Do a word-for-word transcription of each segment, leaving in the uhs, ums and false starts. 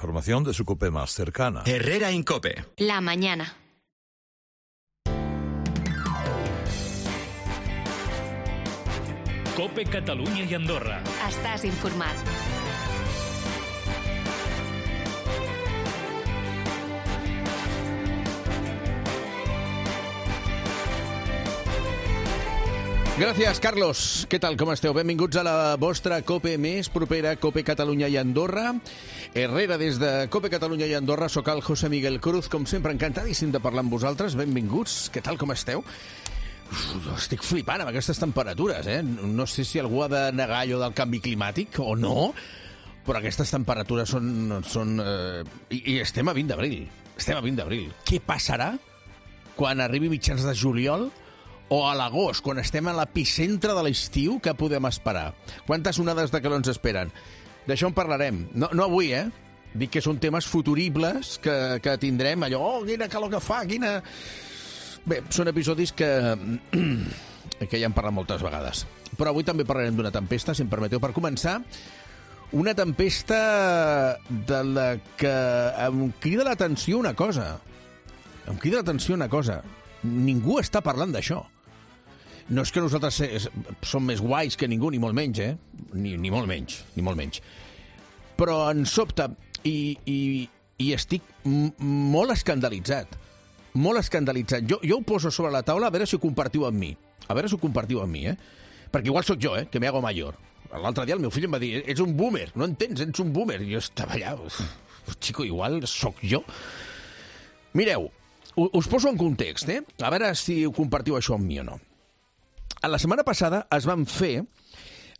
Información de su COPE más cercana. Herrera en COPE. La mañana. COPE Catalunya i Andorra. Estàs informat. Gràcies, Carlos. Què tal, com esteu? Benvinguts a la vostra COPE més propera, COPE Catalunya i Andorra. Herrera, des de COPE Catalunya i Andorra, soc el José Miguel Cruz. Com sempre, encantadíssim de parlar amb vosaltres. Benvinguts. Què tal, com esteu? Uf, estic flipant amb aquestes temperatures, eh? No sé si algú ha de negar allò del canvi climàtic o no, però aquestes temperatures són... són eh... I, I estem a vint d'abril. Estem a vint d'abril. Què passarà quan arribi mitjans de juliol o a l'agost, quan estem a l'epicentre de l'estiu? Què podem esperar? Quantes onades de calor ens esperen? D'això en parlarem. No, no avui, eh? Dic que són temes futuribles que, que tindrem. Allò, oh, quina calor que fa, quina... Bé, són episodis que, que ja hem parlat moltes vegades. Però avui també parlarem d'una tempesta, si em permeteu. Per començar, una tempesta de la que em crida l'atenció una cosa. Em crida l'atenció una cosa. Ningú està parlant d'això. No és que nosaltres som més guais que ningú, ni molt menys, eh? Ni, ni molt menys, ni molt menys. Però em sobta i, i, i estic m- molt escandalitzat. Molt escandalitzat. Jo, jo ho poso sobre la taula a veure si ho compartiu amb mi. A veure si ho compartiu amb mi, eh? Perquè igual sóc jo, eh? Que me hago mayor. L'altre dia el meu fill em va dir, ets un boomer, no entens, ets un boomer. I jo estava allà, xico, igual sóc jo. Mireu, us poso en context, eh? A veure si ho compartiu això amb mi o no. A la setmana passada es van fer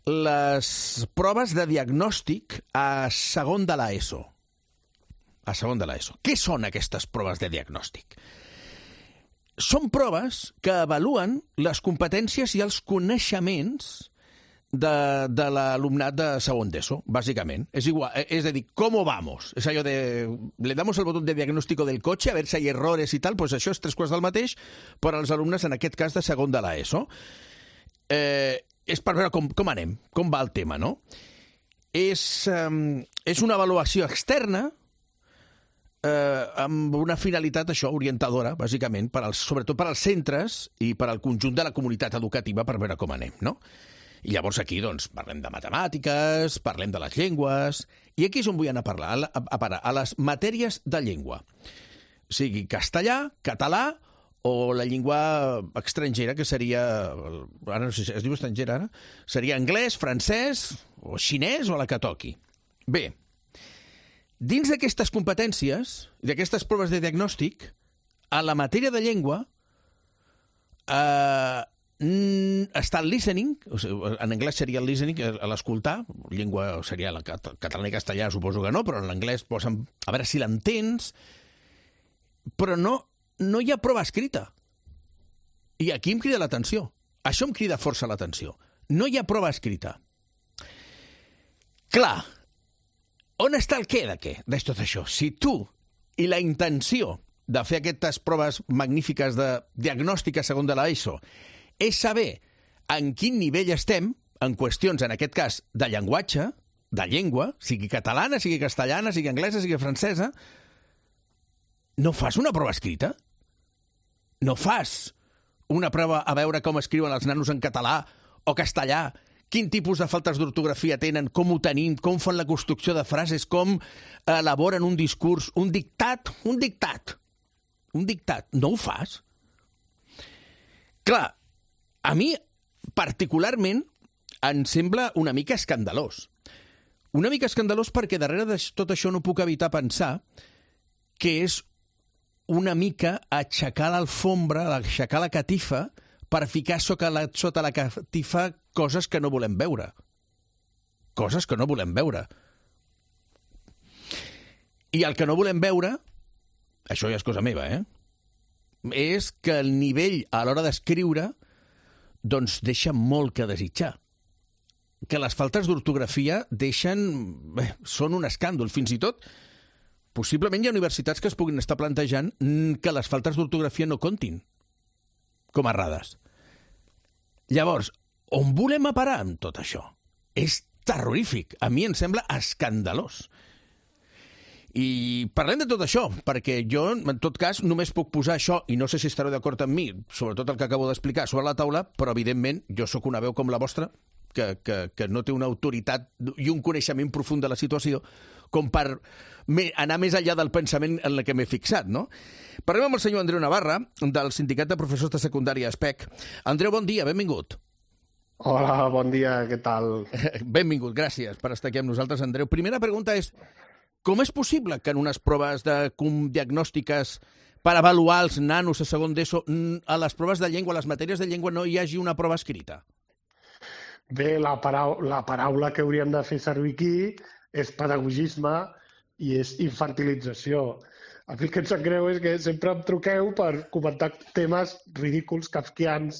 les proves de diagnòstic a segon de l'ESO. A segon de l'ESO. Què són aquestes proves de diagnòstic? Són proves que avaluen les competències i els coneixements de, de l'alumnat de segon d'ESO, bàsicament. És igual, és a dir, ¿cómo vamos? És allò de, le damos el botón de diagnóstico del coche a ver si hay errores i tal, pues això és tres quarts del mateix per als alumnes, en aquest cas, de segon de l'ESO. Eh, és per veure com, com anem, com va el tema, no? És, eh, és una avaluació externa eh, amb una finalitat, això, orientadora, bàsicament, per als, sobretot per als centres i per al conjunt de la comunitat educativa per veure com anem, no? I llavors aquí, doncs, parlem de matemàtiques, parlem de les llengües, i aquí és on vull anar a parlar, a, a, a, a les matèries de llengua. O sigui, castellà, català o la llengua estrangera, que seria, ara no sé si es diu estrangera ara, seria anglès, francès o xinès o la que toqui. Bé, dins d'aquestes competències, d'aquestes proves de diagnòstic, a la matèria de llengua eh, està el listening, o sigui, en anglès seria el listening, l'escoltar, llengua seria la català i castellà, suposo que no, però en l'anglès posen a veure si l'entens, però no, no hi ha prova escrita. I aquí em crida l'atenció. Això em crida força l'atenció. No hi ha prova escrita. Clar, on està el què de què, de tot això? Si tu i la intenció de fer aquestes proves magnífiques de diagnòstic a segon de l'ESO és saber en quin nivell estem en qüestions, en aquest cas, de llenguatge, de llengua, sigui catalana, sigui castellana, sigui anglesa, sigui francesa, no fas una prova escrita? No fas una prova a veure com escriuen els nanos en català o castellà, quin tipus de faltes d'ortografia tenen, com ho tenim, com fan la construcció de frases, com elaboren un discurs, un dictat, un dictat, un dictat. No ho fas? Clar, a mi, particularment, em sembla una mica escandalós. Una mica escandalós perquè darrere de tot això no puc evitar pensar que és una mica aixecar l'alfombra, aixecar la catifa per ficar sota la, sota la catifa coses que no volem veure. Coses que no volem veure. I el que no volem veure, això ja és cosa meva, eh? És que el nivell a l'hora d'escriure doncs deixa molt que desitjar. Que les faltes d'ortografia deixen... Bé, són un escàndol. Fins i tot, possiblement hi ha universitats que es puguin estar plantejant que les faltes d'ortografia no comptin com a errades. Llavors, on volem a parar amb tot això? És terrorífic. A mi em sembla escandalós. I parlem de tot això, perquè jo, en tot cas, només puc posar això, i no sé si estareu d'acord amb mi, sobretot el que acabo d'explicar, sobre la taula, però, evidentment, jo sóc una veu com la vostra, que, que, que no té una autoritat i un coneixement profund de la situació com per anar més enllà del pensament en el que m'he fixat, no? Parlem amb el senyor Andreu Navarra, del Sindicat de Professors de Secundària S P E C. Andreu, bon dia, benvingut. Hola, bon dia, què tal? Benvingut, gràcies per estar aquí amb nosaltres, Andreu. Primera pregunta és, com és possible que en unes proves de diagnòstiques per avaluar els nanos a segon d'ESO, a les proves de llengua, a les matèries de llengua, no hi hagi una prova escrita? Bé, la, parau la paraula que hauríem de fer servir aquí és pedagogisme i és infantilització. A mi el que em sap greu és que sempre em truqueu per comentar temes ridículs, kafkians,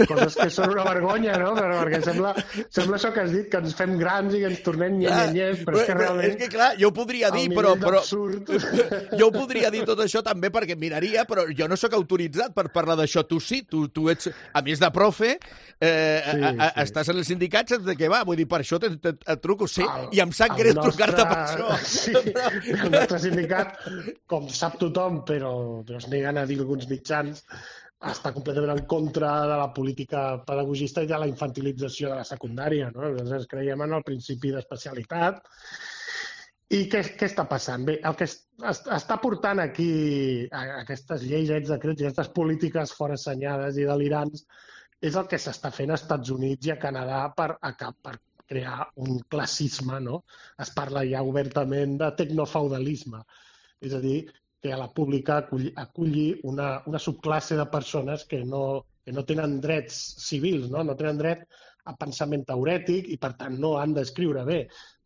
coses que són una vergonya, no? Però perquè sembla, sembla això que has dit, que ens fem grans i ens tornem nye-nye-nyes, però és que realment... És que, clar, jo ho podria dir, però... però... Jo ho podria dir tot això també perquè miraria, però jo no sóc autoritzat per parlar d'això. Tu sí, tu, tu ets, a més de profe, eh, sí, a, a, sí. estàs en el sindicat, saps de què va? Vull dir, per això et, et, et truco, sí, el, i em sap greu nostre... trucar-te per això. Sí, el nostre sindicat, com sap tothom, però, però es neguen a dir alguns mitjans, està completament en contra de la política pedagogista i de la infantilització de la secundària, no? Nosaltres creiem en el principi d'especialitat. I què, què està passant? Bé, el que es, es, està portant aquí aquestes lleis, aquests decrets i aquestes polítiques forassenyades i delirants és el que s'està fent als Estats Units i a Canadà per, per crear un classisme, no? Es parla ja obertament de tecnofeudalisme, és a dir, que a la pública aculli, aculli una, una subclasse de persones que no, que no tenen drets civils, no? no tenen dret a pensament teorètic i, per tant, no han d'escriure bé.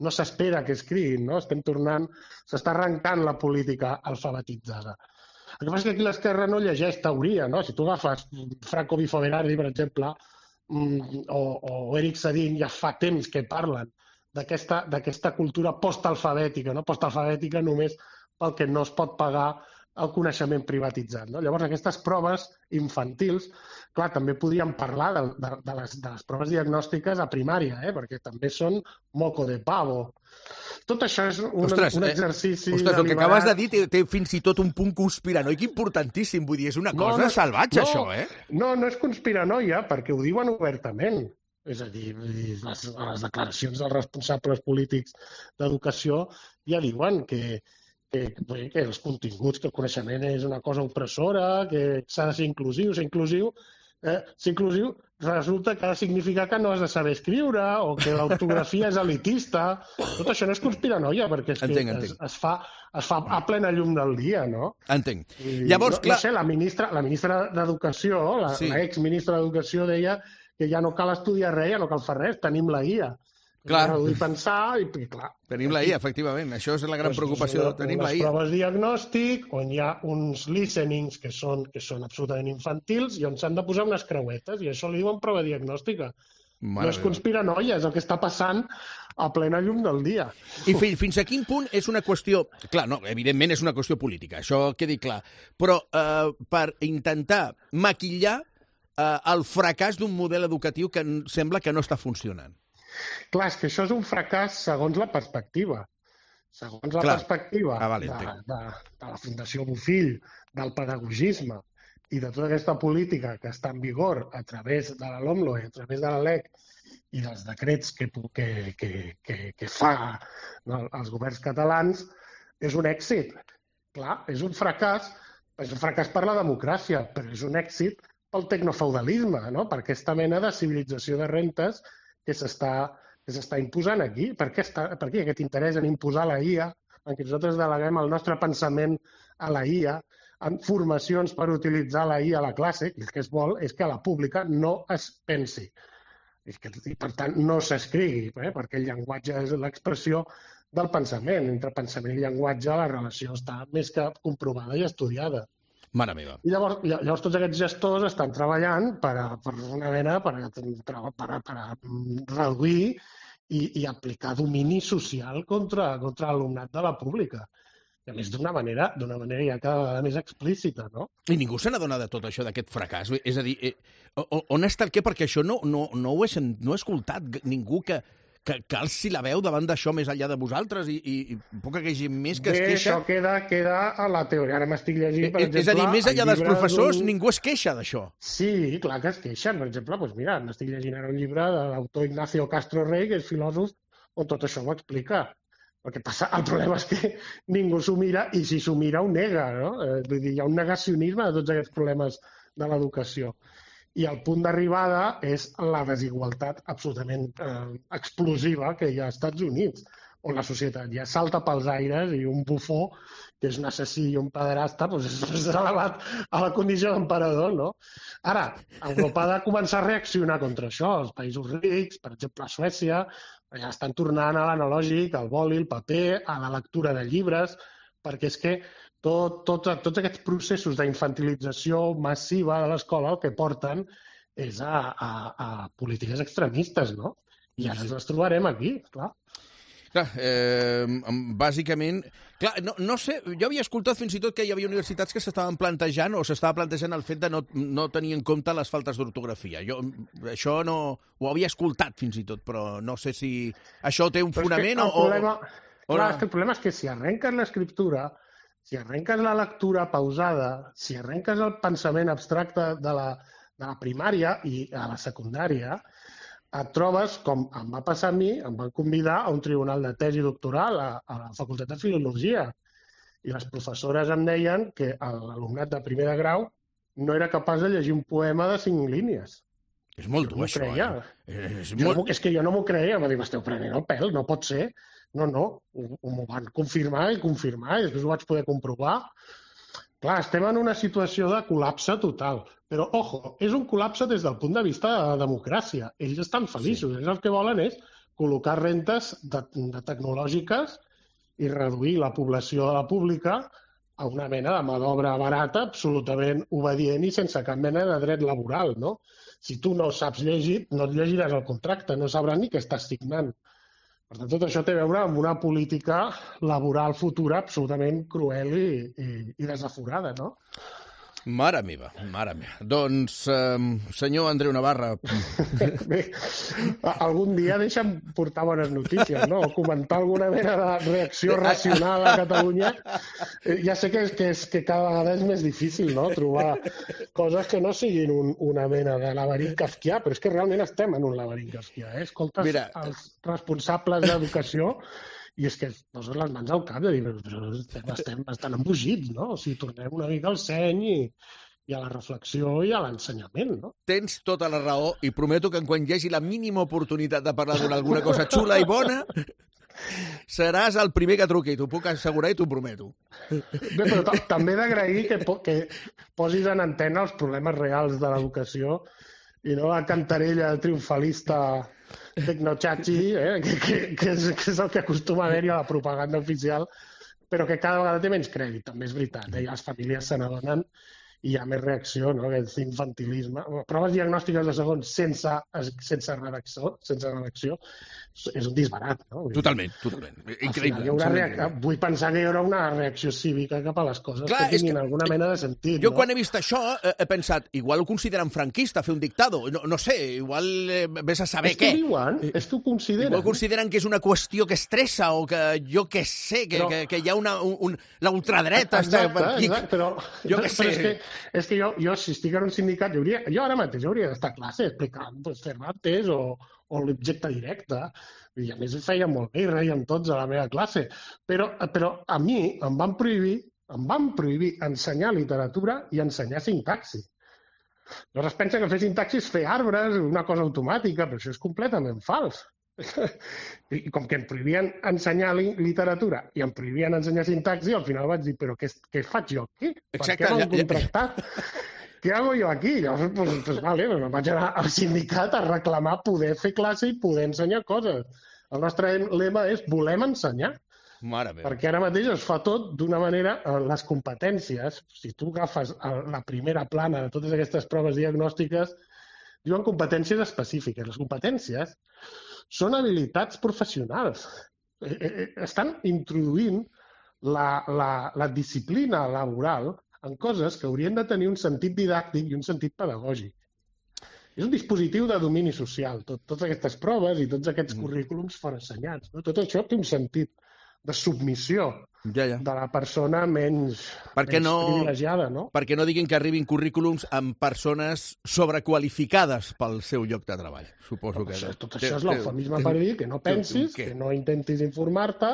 No s'espera que escriguin, no? Estem tornant, s'està arrencant la política alfabetitzada. El que passa és que aquí l'esquerra no llegeix teoria, no? Si tu agafes Franco Bifoverardi, per exemple, o, o Eric Sadin, ja fa temps que parlen d'aquesta cultura postalfabètica, no? Postalfabètica només pel que no es pot pagar el coneixement privatitzat. No? Llavors, aquestes proves infantils, clar, també podríem parlar de, de, de, les, de les proves diagnòstiques a primària, eh? Perquè també són moco de pavo. Tot això és un, ostres, un exercici... Eh? Ostres, el que acabes de dir té, té fins i tot un punt conspiranoic importantíssim. Vull dir, és una cosa no, no, salvatge, no, això, eh? No, no és conspiranoia, perquè ho diuen obertament. És a dir, les, les declaracions dels responsables polítics d'educació ja diuen que Que, que els continguts, que el coneixement és una cosa opressora, que s'ha de ser inclusiu, ser inclusiu, eh, ser inclusiu resulta que ha de significar que no has de saber escriure o que l'ortografia és elitista. Tot això no és conspiranoia, perquè és que entenc, entenc. Es, es, fa, es fa a plena llum del dia, no? Entenc. I, Llavors, no, clar... no sé, la ministra, la ministra d'Educació, la, sí. l'exministra d'Educació deia que ja no cal estudiar res, ja no cal fer res, tenim la I A. Clar. I pensar, i clar. Tenim la I A, efectivament. Això és la gran preocupació. Una, Tenim la I A. Les proves diagnòstic, on hi ha uns listenings que són, que són absolutament infantils i on s'han de posar unes creuetes, i això li diuen prova diagnòstica. Mare no és conspiranoia, és el que està passant a plena llum del dia. I fins, fins a quin punt és una qüestió... Clar, no, evidentment és una qüestió política, això quedi clar. Però eh, per intentar maquillar eh, el fracàs d'un model educatiu que sembla que no està funcionant. Clar, és que això és un fracàs segons la perspectiva. Segons la Clar. perspectiva ah, vale, de, de, de la Fundació Bofill, del pedagogisme i de tota aquesta política que està en vigor a través de la LOMLOE, a través de la L E C i dels decrets que, que, que, que, que fa no, els governs catalans, és un èxit. Clar, és un fracàs, és un fracàs per la democràcia, però és un èxit pel tecnofeudalisme, no? Per aquesta mena de civilització de rentes que s'està que s'està imposant aquí. Per què, està, per què aquest interès en imposar la I A, en què nosaltres deleguem el nostre pensament a la I A, en formacions per utilitzar la I A a la classe, i el que es vol és que a la pública no es pensi. I, que, i per tant, no s'escrigui, eh? Perquè el llenguatge és l'expressió del pensament. Entre pensament i llenguatge la relació està més que comprovada i estudiada. Mare meva. I llavors, llavors tots aquests gestors estan treballant per, a, per una mena per, a, per, a, per, a, per a reduir i, i aplicar domini social contra, contra l'alumnat de la pública. I a més d'una manera, d'una manera ja cada vegada més explícita, no? I ningú se n'adona de tot això, d'aquest fracàs. És a dir, eh, on està el què? Perquè això no, no, no, ho he, no he escoltat ningú que, que, que alci la veu davant d'això més enllà de vosaltres i, i, i poca que hagi més que Bé, es queixa? això queda, queda a la teoria. Ara m'estic llegint, per Eh, exemple... és a dir, més enllà el dels llibre professors, d'un- ningú es queixa d'això. Sí, clar que es queixen. Per exemple, doncs mira, m'estic llegint ara un llibre de l'autor Ignacio Castro Rey, que és filòsof, on tot això ho explica. El que passa, el problema és que ningú s'ho mira i si s'ho mira ho nega, no? Eh, vull dir, hi ha un negacionisme de tots aquests problemes de l'educació. I el punt d'arribada és la desigualtat absolutament eh, explosiva que hi ha als Estats Units, on la societat ja salta pels aires i un bufó, que és un assassí i un pederasta, doncs és elevat a la condició d'emperador, no? Ara, Europa ha de començar a reaccionar contra això. Els països rics, per exemple, a Suècia, ja estan tornant a l'analògic, al boli, al paper, a la lectura de llibres, perquè és que tot, tot, tots aquests processos d'infantilització massiva de l'escola el que porten és a, a, a polítiques extremistes, no? I ara ens les trobarem aquí, clar. Clar, eh, bàsicament... Clar, no, no sé, jo havia escoltat fins i tot que hi havia universitats que s'estaven plantejant o s'estava plantejant el fet de no, no tenir en compte les faltes d'ortografia. Jo això no ho havia escoltat fins i tot, però no sé si això té un Però és que fonament el o... problema, o clar, no. és que el problema és que si arrenques l'escriptura, si arrenques la lectura pausada, si arrenques el pensament abstracte de la, de la primària i a la secundària, et trobes, com em va passar a mi, em van convidar a un tribunal de tesi doctoral a, a la Facultat de Filologia. I les professores em deien que l'alumnat de primer de grau no era capaç de llegir un poema de cinc línies. És molt Jo dur, m'ho això. creia. Eh? És Jo molt... no, és que jo no m'ho creia, em va dir, m'esteu prenent el pèl, no pot ser. No, no, ho, ho m'ho van confirmar i confirmar, i després ho vaig poder comprovar. Clar, estem en una situació de col·lapse total. Però, ojo, és un col·lapse des del punt de vista de la democràcia. Ells estan feliços. Sí. Ells el que volen és col·locar rentes de, de tecnològiques i reduir la població de la pública a una mena de mà d'obra barata, absolutament obedient i sense cap mena de dret laboral, no? Si tu no saps llegir, no et llegiràs el contracte, no sabràs ni què estàs signant. Per tant, tot això té a veure amb una política laboral futura absolutament cruel i, i, i desaforada, no? Mare meva, mare meva. Doncs, eh, senyor Andreu Navarra... Bé, algun dia deixa'm portar bones notícies, no? O comentar alguna mena de reacció racional a Catalunya. Ja sé que, és, que, és, que cada vegada és més difícil, no?, trobar coses que no siguin un, una mena de laberint kafkià, però és que realment estem en un laberint kafkià, eh? Escoltes Mira, els responsables d'educació i és que es posen les mans al cap de dir, però estem, estem bastant embogits, no? O sigui, tornem una mica al seny i, i a la reflexió i a l'ensenyament, no? Tens tota la raó i prometo que quan hi hagi la mínima oportunitat de parlar d'alguna cosa xula i bona, seràs el primer que truqui, t'ho puc assegurar i t'ho prometo. Bé, però també he d'agrair que, po que posis en antena els problemes reals de l'educació i no la cantarella triomfalista tecnochachi, eh? que, que, que, és, que és el que acostuma a haver-hi a la propaganda oficial, però que cada vegada té menys crèdit, també és veritat. Eh? Les famílies se n'adonen i hi ha més reacció, no? Aquest infantilisme. Proves diagnòstiques de segon sense, sense, redacció, sense redacció és un disbarat, no? Totalment, totalment. Increïble. Hi haurà reacció, vull pensar que hi haurà una reacció cívica cap a les coses Clar, que tinguin que alguna mena de sentit. Jo no? quan he vist això he pensat, igual ho consideren franquista, fer un dictado. No, no sé, igual eh, vés a saber és què. És que diuen, és que ho consideren. Igual consideren que és una qüestió que estressa o que jo què sé, que, però... que, que hi ha una, un, un, la ultradreta. Exacte, exacte, però, jo què sé. Però és que, és que jo, jo, si estic en un sindicat, jo, hauria, jo ara mateix hauria d'estar a classe explicant pues, Cervantes o, o l'objecte directe. I a més ho feia molt bé i reiem tots a la meva classe. Però, però a mi em van prohibir, em van prohibir ensenyar literatura i ensenyar sintaxi. Llavors es pensa que fer sintaxi és fer arbres, una cosa automàtica, però això és completament fals. I com que em prohibien ensenyar literatura i em prohibien ensenyar sintaxi, al final vaig dir, però què, què faig jo aquí? Exacte, per què m'han ja, ja... contractat? Què hago jo aquí? Llavors, pues, pues, vale, pues, vaig anar al sindicat a reclamar poder fer classe i poder ensenyar coses. El nostre lema és volem ensenyar. Mare meva. Perquè ara mateix es fa tot d'una manera, les competències, si tu agafes la primera plana de totes aquestes proves diagnòstiques, diuen competències específiques. Les competències són habilitats professionals. Estan introduint la, la, la disciplina laboral en coses que haurien de tenir un sentit didàctic i un sentit pedagògic. és un dispositiu de domini social. Tot, totes aquestes proves i tots aquests currículums forassenyats. No? Tot això té un sentit de submissió ja, ja. de la persona menys, perquè menys no, privilegiada, no? Perquè no diguin que arribin currículums amb persones sobrequalificades pel seu lloc de treball. Suposo que... Això, tot això és l'eufemisme per dir que no pensis, que no intentis informar-te,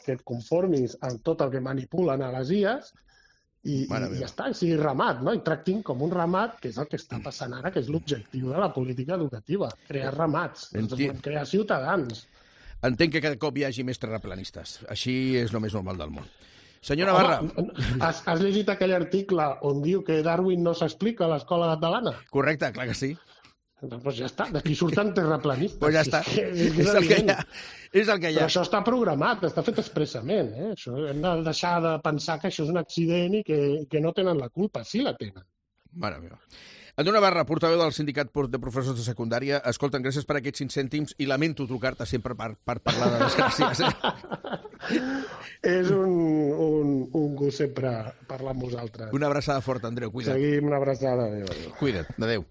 que et conformis amb tot el que manipulen a les I As i, i ja està, i sigui ramat, no? I tractin com un ramat, que és el que està passant ara, que és l'objectiu de la política educativa, crear ramats, volem crear ciutadans. Entenc que cada cop hi hagi més terraplanistes. Així és el més normal del món. Senyor Navarra... Home, has, has llegit aquell article on diu que Darwin no s'explica a l'escola catalana? Correcte, clar que sí. Doncs ja està, d'aquí surten terraplanistes. Pues ja està, és, que, és, és, el que hi ha. és el que hi ha. Però això està programat, està fet expressament. Eh? Això, hem de deixar de pensar que això és un accident i que, que no tenen la culpa. Sí la tenen. Mare meva. Andreu Navarra, portaveu del Sindicat de Professors de Secundària. Escolta'm, gràcies per aquests cinc cèntims i lamento trucar-te sempre per, per parlar de desgràcies. Eh? És un, un, un gust sempre parlar amb vosaltres. Una abraçada forta, Andreu, cuida't. Seguim, una abraçada. Adéu, adéu. Cuida't, adéu.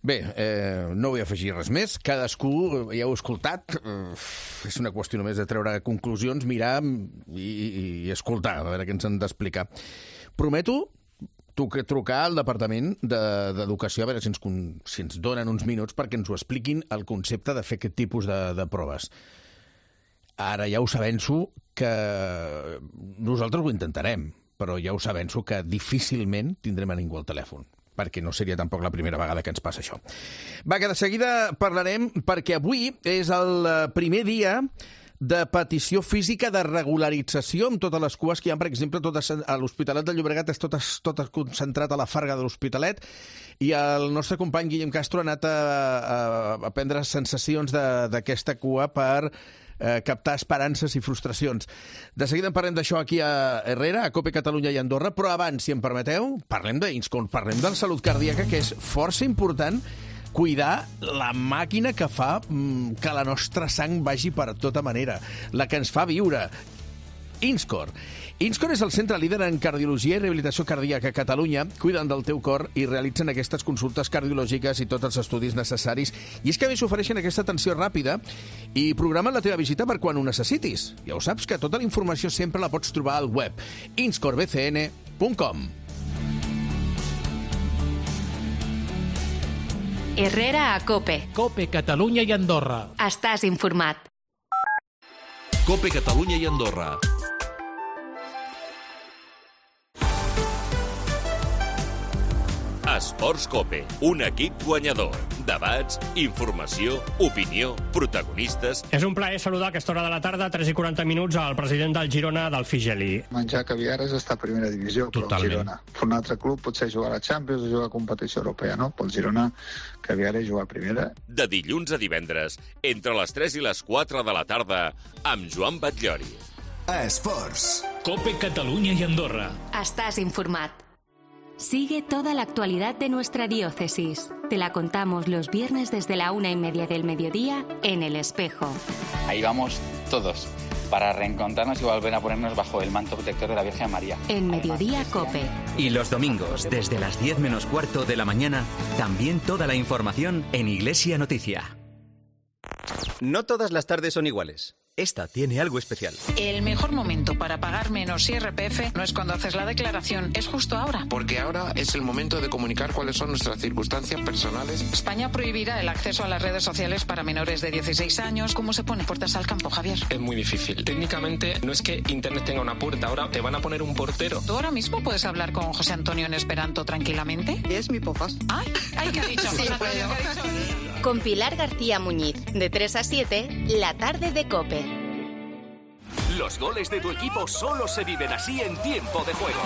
Bé, eh, no vull afegir res més. Cadascú, ja heu escoltat, eh, és una qüestió només de treure conclusions, mirar i, i escoltar, a veure què ens han d'explicar. Prometo trucar al Departament d'Educació a veure si ens, si ens donen uns minuts perquè ens ho expliquin el concepte de fer aquest tipus de, de proves. Ara ja us avenço que nosaltres ho intentarem, però ja us avenço que difícilment tindrem a ningú al telèfon, perquè no seria tampoc la primera vegada que ens passa això. Va, que de seguida parlarem, perquè avui és el primer dia de petició física de regularització amb totes les cues que hi ha, per exemple, totes, a l'Hospitalet de Llobregat és tot, tot concentrat a la Farga de l'Hospitalet i el nostre company Guillem Castro ha anat a, a, a prendre sensacions d'aquesta cua per eh, captar esperances i frustracions. De seguida en parlem d'això aquí a Herrera, a COPE Catalunya i Andorra, però abans, si em permeteu, parlem d'Inscon, parlem de la salut cardíaca, que és força important cuidar la màquina que fa que la nostra sang vagi per tota manera, la que ens fa viure. Inscor. Inscor és el centre líder en cardiologia i rehabilitació cardíaca a Catalunya. Cuiden del teu cor i realitzen aquestes consultes cardiològiques i tots els estudis necessaris. I és que a més ofereixen aquesta atenció ràpida i programen la teva visita per quan ho necessitis. Ja ho saps, que tota la informació sempre la pots trobar al web inscor b c n punt com. Herrera a COPE. COPE Catalunya i Andorra. Estàs informat. COPE Catalunya i Andorra. Esports COPE, un equip guanyador. Debats, informació, opinió, protagonistes... És un plaer saludar a aquesta hora de la tarda, tres i quaranta minuts, al president del Girona, del Figeli. Menjar caviar és estar a primera divisió, però el Girona. Per un altre club potser jugar a la Champions o jugar a competició europea, no? Pel Girona, caviar és jugar a primera. De dilluns a divendres, entre les tres i les quatre de la tarda, amb Joan Batllori. Esports. COPE Catalunya i Andorra. Estás informat. Sigue toda la actualidad de nuestra diócesis. Te la contamos los viernes desde la una y media del mediodía en El Espejo. Ahí vamos todos, para reencontrarnos y volver a ponernos bajo el manto protector de la Virgen María. En Mediodía COPE. Y los domingos, desde las diez menos cuarto de la mañana, también toda la información en Iglesia Noticia. No todas las tardes son iguales. Esta tiene algo especial. El mejor momento para pagar menos I R P F no es cuando haces la declaración, es justo ahora. Porque ahora es el momento de comunicar cuáles son nuestras circunstancias personales. España prohibirá el acceso a las redes sociales para menores de dieciséis años. ¿Cómo se pone puertas al campo, Javier? Es muy difícil. Técnicamente no es que Internet tenga una puerta, ahora te van a poner un portero. ¿Tú ahora mismo puedes hablar con José Antonio en esperanto tranquilamente? Es mi podcast. Ay, ay, ¿qué ha dicho? Sí, José Antonio, ¿qué ha dicho? Con Pilar García Muñiz, de tres a siete, la tarde de COPE. Los goles de tu equipo solo se viven así en tiempo de juego.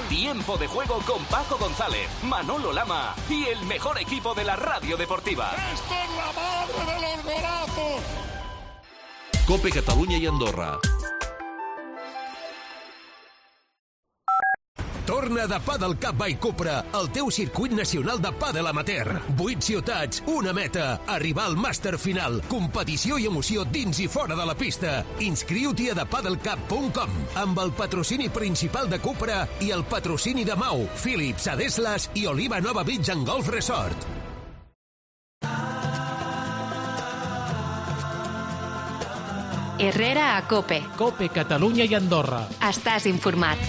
Tiempo de juego con Paco González, Manolo Lama y el mejor equipo de la radio deportiva. ¡Esto es la madre de los golazos! COPE Catalunya i Andorra. Torna de Padel Cup by Cupra, el teu circuit nacional de pàdel amateur. Vuit ciutats, una meta, arribar al màster final, competició i emoció dins i fora de la pista. Inscriu-t'hi a the padel cup punt com, amb el patrocini principal de Cupra i el patrocini de Mau, Philips, Adeslas i Oliva Nova Beach and Golf Resort. Herrera a COPE. COPE Catalunya i Andorra. Estàs informat.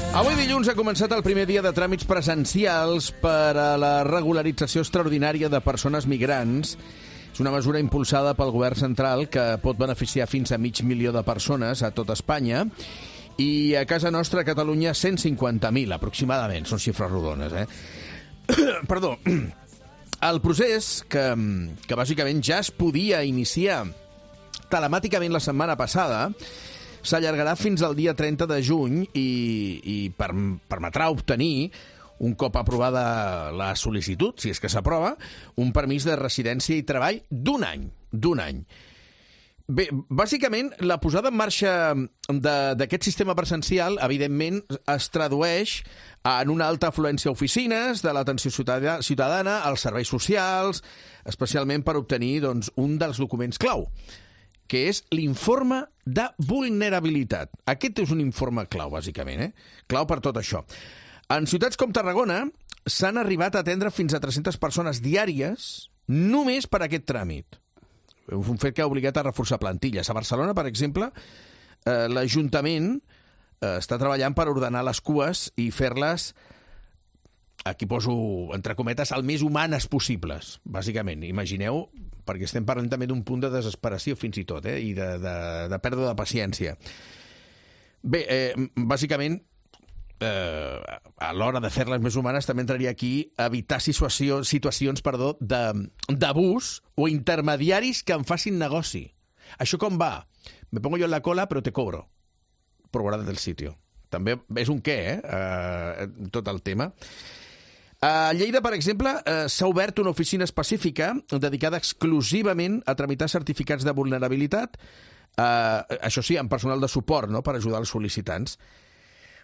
Avui dilluns ha començat el primer dia de tràmits presencials per a la regularització extraordinària de persones migrants. És una mesura impulsada pel govern central que pot beneficiar fins a mig milió de persones a tot Espanya. I a casa nostra, a Catalunya, cent cinquanta mil aproximadament. Són xifres rodones, eh? Perdó. El procés, que, que bàsicament ja es podia iniciar telemàticament la setmana passada, s'allargarà fins al dia trenta de juny i, i per, permetrà obtenir, un cop aprovada la sol·licitud, si és que s'aprova, un permís de residència i treball d'un any. D'un any. Bé, bàsicament, la posada en marxa d'aquest sistema presencial, evidentment, es tradueix en una alta afluència a oficines de l'atenció ciutadana, als serveis socials, especialment per obtenir doncs, un dels documents clau, que és l'informe de vulnerabilitat. Aquest és un informe clau, bàsicament, eh? Clau per tot això. En ciutats com Tarragona s'han arribat a atendre fins a tres-centes persones diàries només per aquest tràmit. Un fet que ha obligat a reforçar plantilles. A Barcelona, per exemple, eh, l'Ajuntament eh, està treballant per ordenar les cues i fer-les, aquí poso entre cometes, el més humanes possibles, bàsicament. Imagineu, perquè estem parlant també d'un punt de desesperació fins i tot, eh, i de, de, de pèrdua de paciència. Bé, eh, bàsicament, eh, a l'hora de fer-les més humanes també entraria aquí evitar situació, situacions perdó, d'abús o intermediaris que en facin negoci. Això com va? Me pongo yo en la cola però te cobro por guardar del sitio. També és un què, eh? eh tot el tema. A Lleida, per exemple, eh, s'ha obert una oficina específica dedicada exclusivament a tramitar certificats de vulnerabilitat, eh, això sí, amb personal de suport, no?, per ajudar els sol·licitants.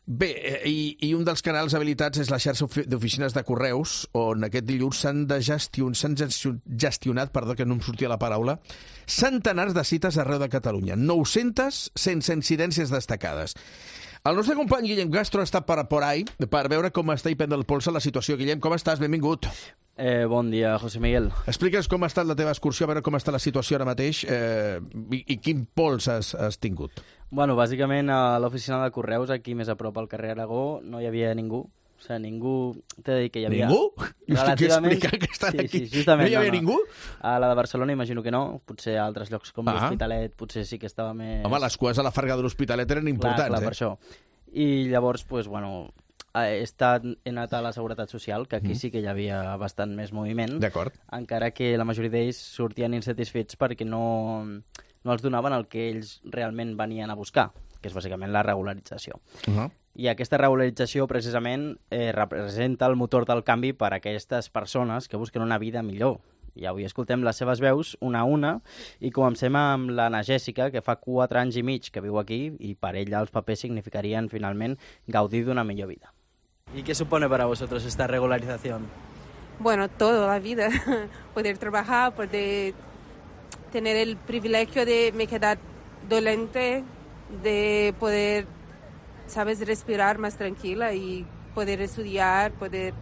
Bé, i, i un dels canals habilitats és la xarxa d'oficines de correus, on aquest dilluns s'han de gestion, s'han gestionat, perdó, que no em sortia la paraula, centenars de cites arreu de Catalunya, nou-centes sense incidències destacades. El nostre company Guillem Castro ha estat per, por ahí per veure com està i prendre el pols a la situació. Guillem, com estàs? Benvingut. Eh, bon dia, José Miguel. Explica'ns com ha estat la teva excursió, a veure com està la situació ara mateix eh, i, i quin pols has, has tingut. Bueno, bàsicament a l'oficina de correus, aquí més a prop al carrer Aragó, no hi havia ningú. O sigui, ningú... T'he de dir que hi havia... Ningú? Relativament... Explicar que estan sí, aquí. Sí, justament, no hi havia no, no. ningú? A la de Barcelona imagino que no. Potser a altres llocs com ah. l'Hospitalet potser sí que estava més... Home, les cues a la Farga de l'Hospitalet eren importants, clar, clar, eh? per això. I llavors, pues, bueno, he, estat, he anat a la Seguretat Social, que aquí mm. sí que hi havia bastant més moviment. D'acord. Encara que la majoria d'ells sortien insatisfets perquè no, no els donaven el que ells realment venien a buscar, que és bàsicament la regularització. Uh-huh. I aquesta regularització, precisament, eh, representa el motor del canvi per a aquestes persones que busquen una vida millor. I avui escoltem les seves veus una a una i comencem amb l'Anna Jèssica, que fa quatre anys i mig que viu aquí i per ella els papers significarien finalment gaudir d'una millor vida. ¿Y qué supone para vosotros esta regularización? Bueno, toda la vida. Poder trabajar, poder tener el privilegio de me quedar dolente, de poder, sabes, respirar más tranquila y poder estudiar, poder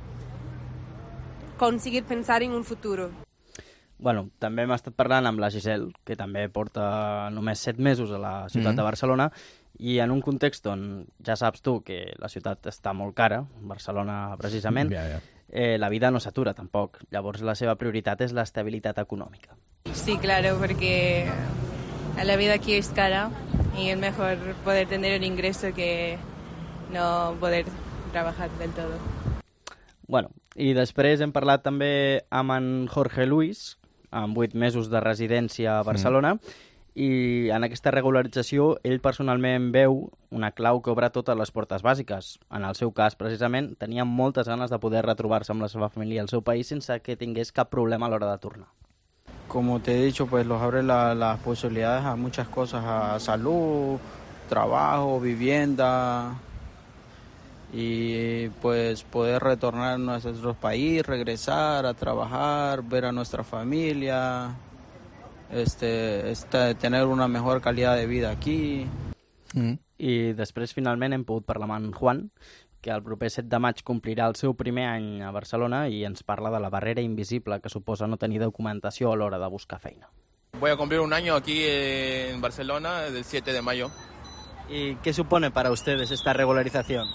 conseguir pensar en un futuro. Bueno, també hem estat parlant amb la Giselle, que també porta només set mesos a la ciutat mm-hmm. de Barcelona, i en un context on ja saps tu que la ciutat està molt cara, Barcelona precisament, ja, ja. Eh, la vida no s'atura tampoc. Llavors la seva prioritat és l'estabilitat econòmica. Sí, claro, porque la vida aquí es cara y es mejor poder tener un ingreso que no poder trabajar del todo. Bueno, i després hem parlat també amb en Jorge Luis, amb vuit mesos de residència a Barcelona, mm. I en aquesta regularització ell personalment veu una clau que obre totes les portes bàsiques. En el seu cas, precisament, tenia moltes ganes de poder retrobar-se amb la seva família al seu país sense que tingués cap problema a l'hora de tornar. Como te he dicho, pues los abre la, las posibilidades a muchas cosas, a salud, trabajo, vivienda, y pues poder retornar a nuestro país, regresar a trabajar, ver a nuestra familia, este, este, tener una mejor calidad de vida aquí. Mm. I després, finalment, hem pogut parlar amb en Juan, que el proper set de maig complirà el seu primer any a Barcelona i ens parla de la barrera invisible que suposa no tenir documentació a l'hora de buscar feina. Voy a cumplir un año aquí en Barcelona el siete de mayo. ¿Y qué supone para ustedes esta regularización?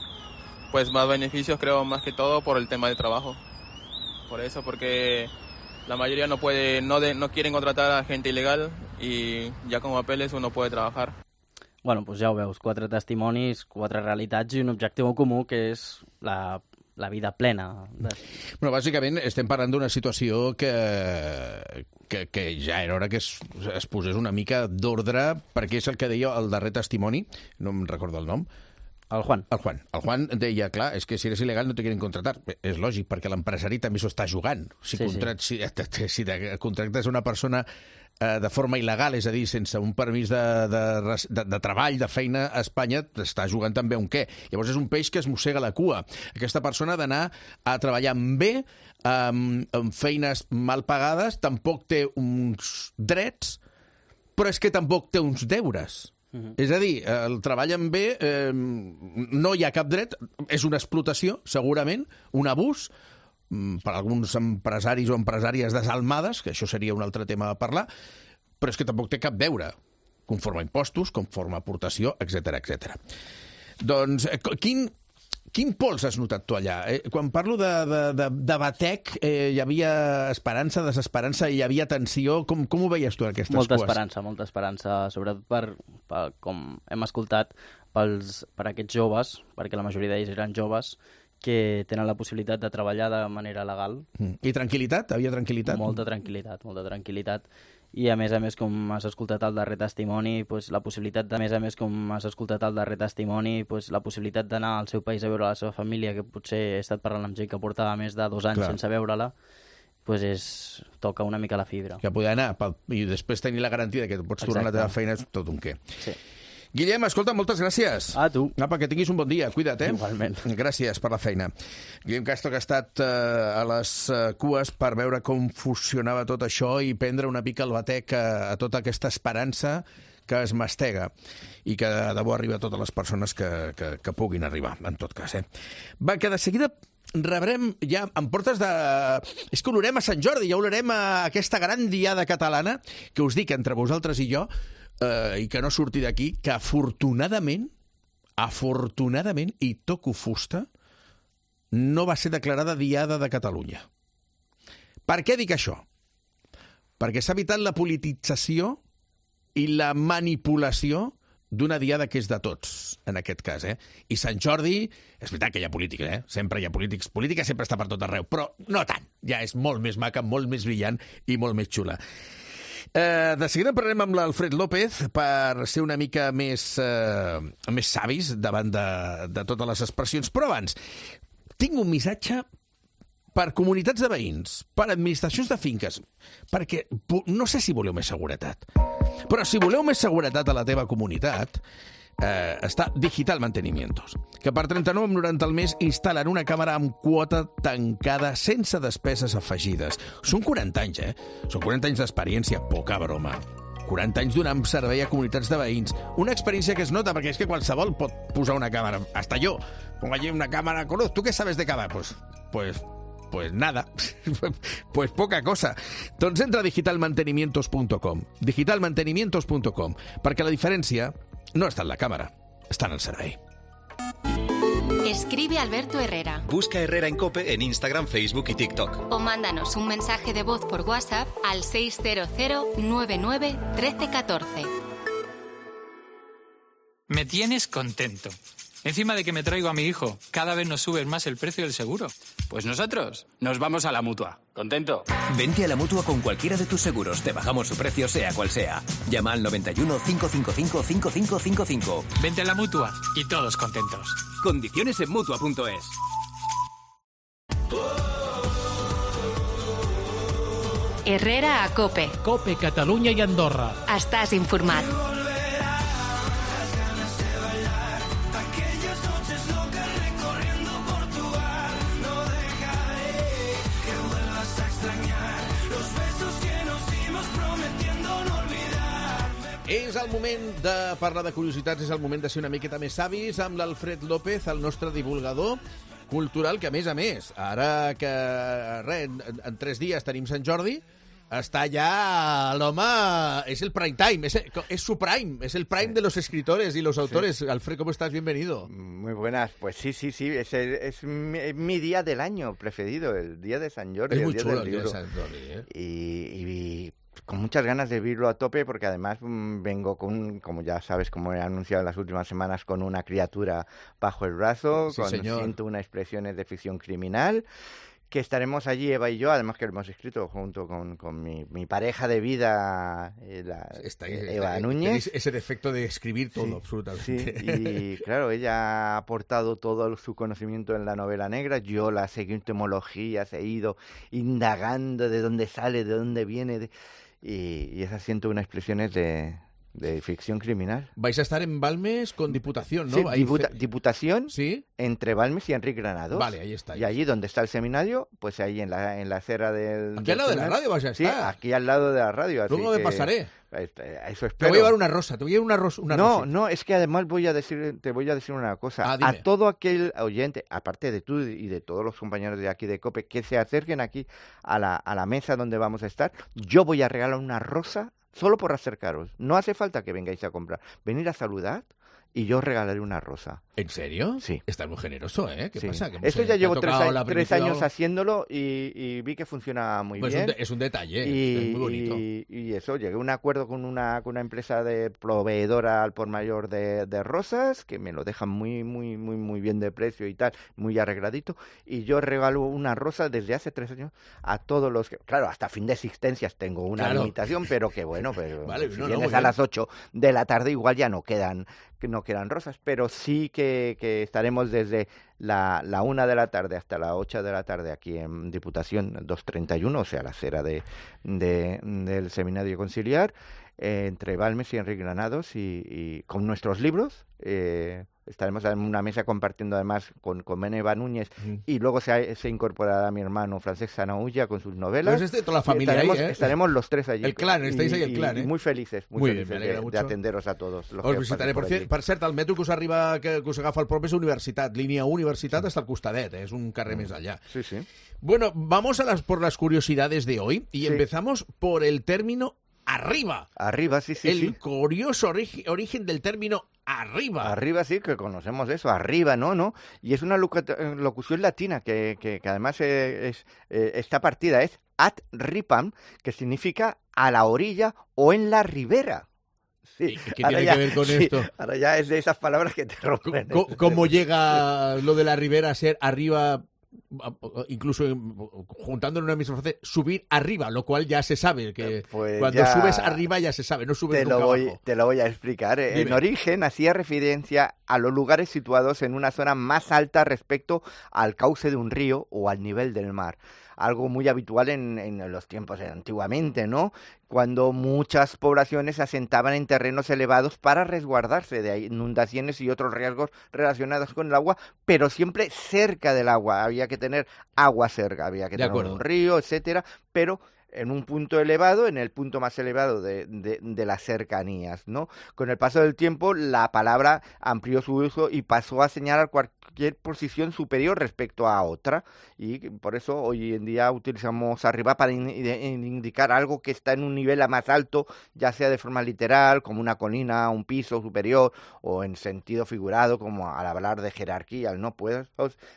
Pues más beneficios, creo, más que todo por el tema del trabajo. Por eso, porque la mayoría no puede, no, de, no quieren contratar a gente ilegal y ya con papeles uno puede trabajar. Bueno, doncs ja ho veus, quatre testimonis, quatre realitats i un objectiu comú que és la, la vida plena. De... Bueno, bàsicament estem parlant d'una situació que, que, que ja era hora que es, es posés una mica d'ordre, perquè és el que deia el darrer testimoni, no em recordo el nom, El Juan. El Juan. El Juan deia, clar, és que si eres il·legal no te quieren contratar. És lògic, perquè l'empresari també s'ho està jugant. Si, sí, contract, sí. si, si contractes una persona eh, de forma il·legal, és a dir, sense un permís de, de, de, de treball, de feina a Espanya, t'està jugant també un què. Llavors és un peix que es mossega la cua. Aquesta persona ha d'anar a treballar bé, amb, amb feines mal pagades, tampoc té uns drets, però és que tampoc té uns deures. Uh-huh. És a dir, el treball en bé, eh, no hi ha cap dret, és una explotació, segurament, un abús, per alguns empresaris o empresàries desalmades, que això seria un altre tema a parlar, però és que tampoc té cap deure, conforme a impostos, conforme a aportació, etcètera, etcètera. Doncs, quin... Quin pols has notat tu allà? Eh, quan parlo de, de, de, de batec, eh, hi havia esperança, desesperança, hi havia tensió. Com, com ho veies tu, aquestes molta cues? Molta esperança, molta esperança, sobretot per, per, com hem escoltat, pels, per aquests joves, perquè la majoria d'ells eren joves, que tenen la possibilitat de treballar de manera legal. Mm. I tranquil·litat? Havia tranquil·litat? Molta tranquil·litat, molta tranquil·litat. I a més a més, com has escoltat el darrer testimoni, pues, la possibilitat de, a més a més, com has escoltat el darrer testimoni, pues, la possibilitat d'anar al seu país a veure la seva família, que potser he estat parlant amb gent que portava més de dos anys Clar. sense veure-la, pues és, toca una mica la fibra. Que poder anar pel, i després tenir la garantia que pots Exacte. tornar a la teva feina és tot un què. Sí. Guillem, escolta, moltes gràcies. A tu. Apa, que tinguis un bon dia. Cuida't, eh? Igualment. Gràcies per la feina. Guillem Castro, que ha estat eh, a les eh, cues per veure com funcionava tot això i prendre una mica el batec a, a tota aquesta esperança que es mastega i que de debò arriba a totes les persones que, que, que puguin arribar, en tot cas. Eh? Va, que de seguida rebrem ja en portes de... És que olorem a Sant Jordi, ja olorem a aquesta gran diada catalana que us dic entre vosaltres i jo, Uh, i que no surti d'aquí, que afortunadament, afortunadament, i toco fusta, no va ser declarada Diada de Catalunya. Per què dic això? Perquè s'ha evitat la politització i la manipulació d'una diada que és de tots, en aquest cas. Eh? I Sant Jordi, és veritat que hi ha política, eh? Sempre hi ha polítics. Política sempre està per tot arreu, però no tant. Ja és molt més maca, molt més brillant i molt més xula. Eh, de seguida parlarem amb l'Alfred López per ser una mica més, eh, més savis davant de, de totes les expressions. Però abans, tinc un missatge per comunitats de veïns, per administracions de finques, perquè no sé si voleu més seguretat, però si voleu més seguretat a la teva comunitat, eh, està Digital Mantenimientos, que per trenta-nou coma noranta al mes instal·len una càmera amb quota tancada sense despeses afegides. Són quaranta anys, eh? Són quaranta anys d'experiència, poca broma. quaranta anys donant servei a comunitats de veïns. Una experiència que es nota, perquè és que qualsevol pot posar una càmera. Hasta yo. Pongo allí una càmera. ¿Tú qué sabes de cámara? Pues, pues, pues nada. Pues poca cosa. Doncs entra a digital mantenimientos punto com. digital mantenimientos punto com. Perquè la diferència no está en la cámara, está en el servei. Escribe Alberto Herrera. Busca Herrera en COPE en Instagram, Facebook y TikTok. O mándanos un mensaje de voz por WhatsApp al seis cero cero nueve nueve uno tres uno cuatro. Me tienes contento. Encima de que me traigo a mi hijo, cada vez nos sube más el precio del seguro. Pues nosotros nos vamos a la Mutua. ¿Contento? Vente a la Mutua con cualquiera de tus seguros. Te bajamos su precio sea cual sea. Llama al noventa y uno, cinco cinco cinco, cinco cinco cinco cinco. Vente a la Mutua y todos contentos. Condiciones en Mutua punto es. Herrera a Cope. Cope Catalunya i Andorra. Estàs informat. És el moment de parlar de curiositats, és el moment de ser una miqueta més savis amb l'Alfred López, el nostre divulgador cultural, que a més a més, ara que re, en, en tres dies tenim Sant Jordi, està ja l'home, és el prime time, es, es su prime, es el prime de los escritores y los autores. Sí. Alfred, ¿cómo estás? Bienvenido. Muy buenas, pues sí, sí, sí, es, el, es mi, mi día del año preferido, el día de San Jordi. Es el muy día chulo del el día libro. de San Jordi, ¿eh? Y... y con muchas ganas de vivirlo a tope, porque además mmm, vengo con, como ya sabes, como he anunciado en las últimas semanas, con una criatura bajo el brazo, sí, con señor. ciento una expresiones de ficción criminal, que estaremos allí, Eva y yo, además que lo hemos escrito junto con, con mi, mi pareja de vida, eh, la, está, Eva está, Núñez. Ese defecto de escribir todo, sí, absolutamente. Sí, y claro, ella ha aportado todo su conocimiento en la novela negra, yo las entomologías he ido indagando de dónde sale, de dónde viene, de, y, y esas ciento una expresiones de... de ficción criminal. Vais a estar en Balmes con Diputación, ¿no? Sí, Ahí diputa, ce... Diputación ¿Sí? entre Balmes y Enrique Granados. Vale, ahí está. Y allí donde está el seminario, pues ahí en la, en la acera del... Aquí del al lado seminario. de la radio vas a estar. Sí, aquí al lado de la radio. Así Luego me que, pasaré. Eso espero. Te voy a llevar una rosa, te voy a llevar una rosa. Una no, rosa. no, es que además voy a decir, te voy a decir una cosa. Ah, a todo aquel oyente, aparte de tú y de todos los compañeros de aquí de COPE, que se acerquen aquí a la, a la mesa donde vamos a estar, yo voy a regalar una rosa solo por acercaros. No hace falta que vengáis a comprar. Venir a saludar y yo os regalaré una rosa. ¿En serio? Sí. Estás muy generoso, ¿eh? ¿Qué sí. pasa? Que Esto sé, ya llevo tres, a, la tres años haciéndolo y, y vi que funciona muy pues bien. Es un, es un detalle, y, es muy bonito. Y, y eso, llegué a un acuerdo con una, con una empresa de proveedora al por mayor de, de rosas, que me lo dejan muy, muy, muy, muy bien de precio y tal, muy arregladito, y yo regalo una rosa desde hace tres años a todos los que, claro, hasta fin de existencias tengo una claro. limitación, pero que bueno, pero vale, si no, vienes no, a las ocho de la tarde igual ya no quedan, que no quedan rosas, pero sí que, que estaremos desde la, la una de la tarde hasta las ocho de la tarde aquí en Diputación doscientos treinta y uno, o sea, la acera de, de, del Seminario Conciliar, eh, entre Balmes y Enrique Granados, y, y con nuestros libros. Eh, estaremos en una mesa compartiendo además con, con Eva Núñez, mm. y luego se, se incorporará mi hermano Francesc Sanaúlla con sus novelas. Pues este, toda la familia estaremos, ahí, ¿eh? estaremos los tres allí. El clan, estáis ahí el clan, y, ¿eh? Y muy felices, muy, muy felices bien, de, de atenderos a todos. Los Os que visitaré. Per, por, per cert, el metro que us arriba, que, que us agafa el propi és Universitat. Línia Universitat sí. Està al costadet, eh? És un carrer mm. més allà. Sí, sí. Bueno, vamos a las, por las curiosidades de hoy y sí. empezamos por el término arriba. Arriba, sí, sí. El sí. curioso ori origen del término arriba. Arriba, sí, que conocemos eso, arriba, ¿no? ¿no? Y es una locución latina que, que, que además es, es, esta partida es ad ripam, que significa a la orilla o en la ribera. Sí. ¿Qué tiene ya, que ver con sí, esto? Ahora ya es de esas palabras que te rompen. ¿Cómo, cómo llega lo de la ribera a ser arriba? Incluso juntando en una misma frase, subir arriba, lo cual ya se sabe que pues cuando ya subes arriba ya se sabe, no subes te nunca lo voy, abajo. Te lo voy a explicar. Dime. En origen hacía referencia a los lugares situados en una zona más alta respecto al cauce de un río o al nivel del mar. Algo muy habitual en, en los tiempos de antiguamente, ¿no? Cuando muchas poblaciones se asentaban en terrenos elevados para resguardarse de inundaciones y otros riesgos relacionados con el agua, pero siempre cerca del agua. Había que tener agua cerca, había que de tener acuerdo. un río, etcétera, pero en un punto elevado, en el punto más elevado de, de, de las cercanías, ¿no? Con el paso del tiempo, la palabra amplió su uso y pasó a señalar cualquier posición superior respecto a otra, y por eso hoy en día utilizamos arriba para in, in, indicar algo que está en un nivel más alto, ya sea de forma literal, como una colina, un piso superior, o en sentido figurado, como al hablar de jerarquía, ¿no? Pues,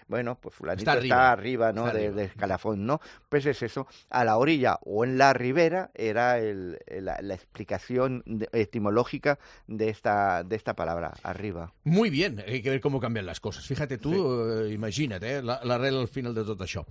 bueno, pues fulanito está arriba, está arriba ¿no? Está de, arriba. de escalafón, ¿no? Pues es eso, a la orilla o en la ribera era el, la, la explicación de, etimológica de esta, de esta palabra, arriba. Muy bien, hay que ver cómo cambian las cosas. Fíjate tú, sí. eh, imagina't, eh, l'arrel al final de tot això.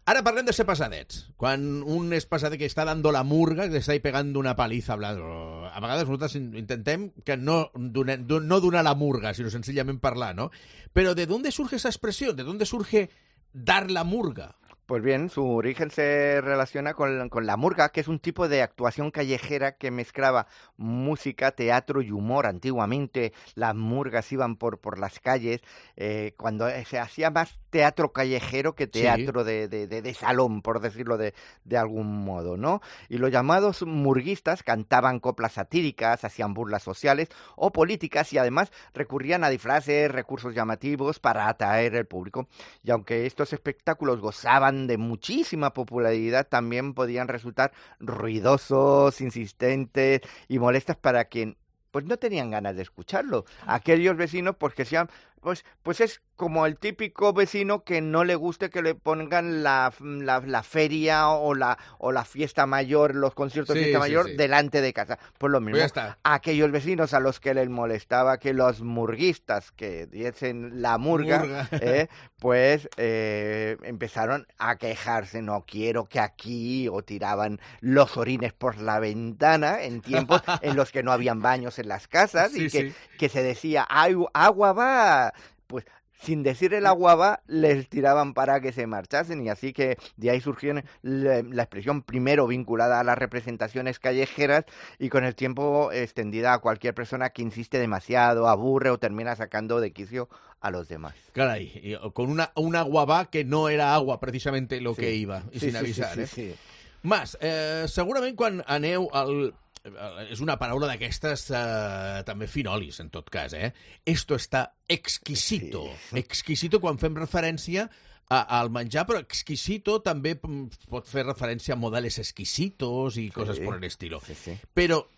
Ara parlem de ser pesadets. Quan un és pesadet que està dando la murga, que està ahí pegando una paliza hablando, a vegades nosaltres intentem que no, donar, no donar la murga, sino sencillament parlar, ¿no? Pero ¿de dónde surge esa expresión? ¿De dónde surge dar la murga? Pues bien, su origen se relaciona con, con la murga, que es un tipo de actuación callejera que mezclaba música, teatro y humor. Antiguamente las murgas iban por, por las calles, eh, cuando se hacía más teatro callejero que teatro sí. de, de, de, de salón, por decirlo de, de algún modo, ¿no? Y los llamados murguistas cantaban coplas satíricas, hacían burlas sociales o políticas y además recurrían a disfraces, recursos llamativos para atraer al público. Y aunque estos espectáculos gozaban de muchísima popularidad, también podían resultar ruidosos, insistentes y molestas para quien pues no tenían ganas de escucharlo. Aquellos vecinos pues que sean pues pues es como el típico vecino que no le guste que le pongan la, la, la feria o la o la fiesta mayor, los conciertos sí, de fiesta sí, mayor sí. delante de casa. Pues lo mismo, pues aquellos vecinos a los que les molestaba que los murguistas que diesen la murga, murga. Eh, pues eh, empezaron a quejarse, no quiero que aquí, o tiraban los orines por la ventana en tiempos en los que no habían baños en las casas sí, y que, sí. que se decía, ¡ay, agua va! Pues sin decir el agua va, les tiraban para que se marchasen y así que de ahí surgió la, la expresión primero vinculada a las representaciones callejeras y con el tiempo extendida a cualquier persona que insiste demasiado, aburre o termina sacando de quicio a los demás. Caray, con una, un agua va que no era agua precisamente lo sí. que iba, y sí, sin sí, avisar. Sí, sí, eh? sí. Mas, eh, segurament quan aneu al... és una paraula d'aquestes eh, també finolis, en tot cas, eh? Esto está exquisito. Sí. Exquisito quan fem referència a, al menjar, però exquisito també pot fer referència a modales exquisitos y cosas sí. por el estilo. Sí, sí. Pero,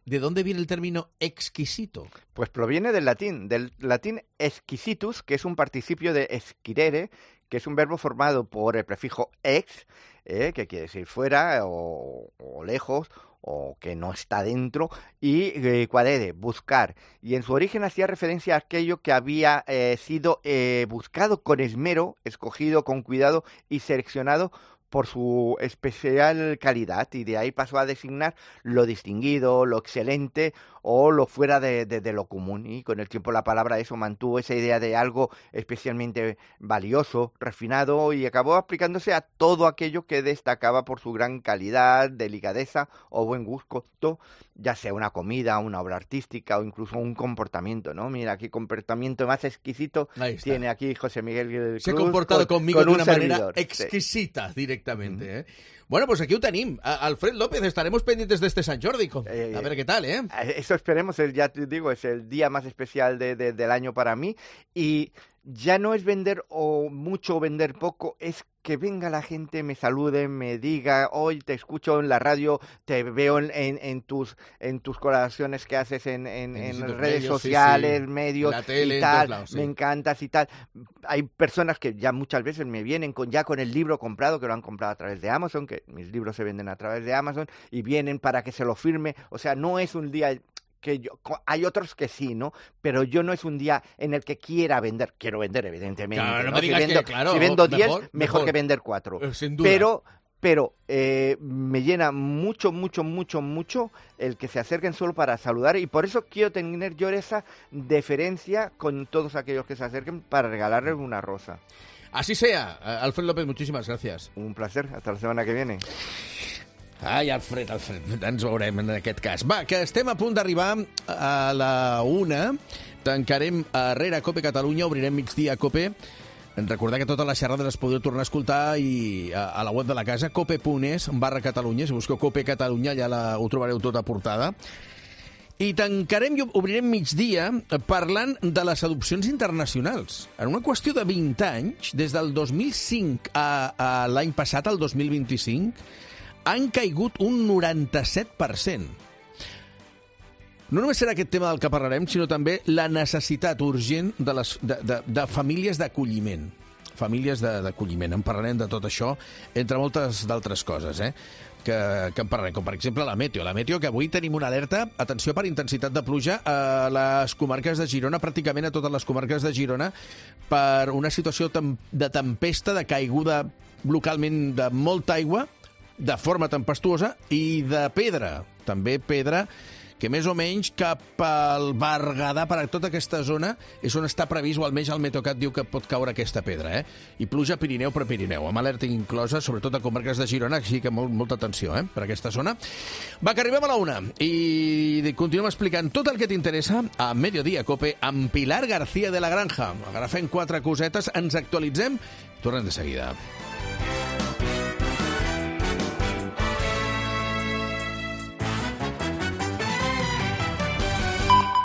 ¿de dónde viene el término exquisito? Pues proviene del latín, del latín exquisitus, que es un participio de exquirere, que es un verbo formado por el prefijo ex, eh, que quiere decir fuera o, o lejos, o que no está dentro, y eh, quadere, buscar. Y en su origen hacía referencia a aquello que había eh, sido eh, buscado con esmero, escogido con cuidado y seleccionado por su especial calidad, y de ahí pasó a designar lo distinguido, lo excelente o lo fuera de, de, de lo común. Y con el tiempo la palabra eso mantuvo esa idea de algo especialmente valioso, refinado, y acabó aplicándose a todo aquello que destacaba por su gran calidad, delicadeza o buen gusto, ya sea una comida, una obra artística o incluso un comportamiento, ¿no? Mira, qué comportamiento más exquisito tiene aquí José Miguel Cruz. Se ha comportado con, conmigo con de una servidor. manera exquisita, sí. directamente, ¿eh? Bueno, pues aquí ho tenim. Alfred López, estaremos pendientes de este Sant Jordi. Eh, a ver qué tal, ¿eh? Eso esperemos, ya te digo, es el día más especial de, de, del año para mí. Y ya no es vender o mucho o vender poco, es que venga la gente, me salude, me diga, hoy te escucho en la radio, te veo en, en, en tus en tus colaboraciones que haces en, en, en redes medios, sociales, sí, sí. medios la tele, y tal, lados, sí. me encantas y tal. Hay personas que ya muchas veces me vienen con ya con el libro comprado, que lo han comprado a través de Amazon, que mis libros se venden a través de Amazon, y vienen para que se lo firme. O sea, no es un día... que yo, hay otros que sí, ¿no? Pero yo no es un día en el que quiera vender. Quiero vender, evidentemente. Claro, no ¿no? me digas si vendo, que, claro, si vendo diez, mejor, mejor, mejor que vender cuatro. Eh, sin duda. Pero, pero eh, me llena mucho, mucho, mucho, mucho el que se acerquen solo para saludar, y por eso quiero tener yo esa deferencia con todos aquellos que se acerquen para regalarles una rosa. Así sea. Alfred López, muchísimas gracias. Un placer. Hasta la semana que viene. Ai, Alfred, Alfred, ens veurem en aquest cas. Va, que estem a punt d'arribar a la una. Tancarem a Herrera Cope Catalunya, obrirem migdia Cope. Recordar que totes les xerrades les podeu tornar a escoltar i a, a la web de la casa, cope.es barra Catalunya. Si busqueu Cope Catalunya ja la, ho trobareu tota portada. I tancarem i obrirem migdia parlant de les adopcions internacionals. En una qüestió de vint anys, des del dos mil cinc a, a l'any passat, al dos mil vint-i-cinc, han caigut un noranta-set per cent. No només serà aquest tema del que parlarem, sinó també la necessitat urgent de, les, de, de, de famílies d'acolliment. Famílies d'acolliment. En parlarem de tot això, entre moltes d'altres coses, eh? que, que en parlarem, com per exemple la Meteo. La Meteo, que avui tenim una alerta, atenció per intensitat de pluja a les comarques de Girona, pràcticament a totes les comarques de Girona, per una situació de tempesta, de caiguda localment de molta aigua, de forma tempestuosa, i de pedra, també pedra, que més o menys cap al Berguedà, per a tota aquesta zona, és on està previst, o almenys el Meteocat diu que pot caure aquesta pedra, eh? I pluja Pirineu per Pirineu, amb alerta inclosa, sobretot a comarques de Girona, així que molt, molta atenció, eh?, per aquesta zona. Va, que arribem a la una, i continuem explicant tot el que t'interessa a Mediodía Cope amb Pilar García de la Granja. Agafem quatre cosetes, ens actualitzem, tornem de seguida.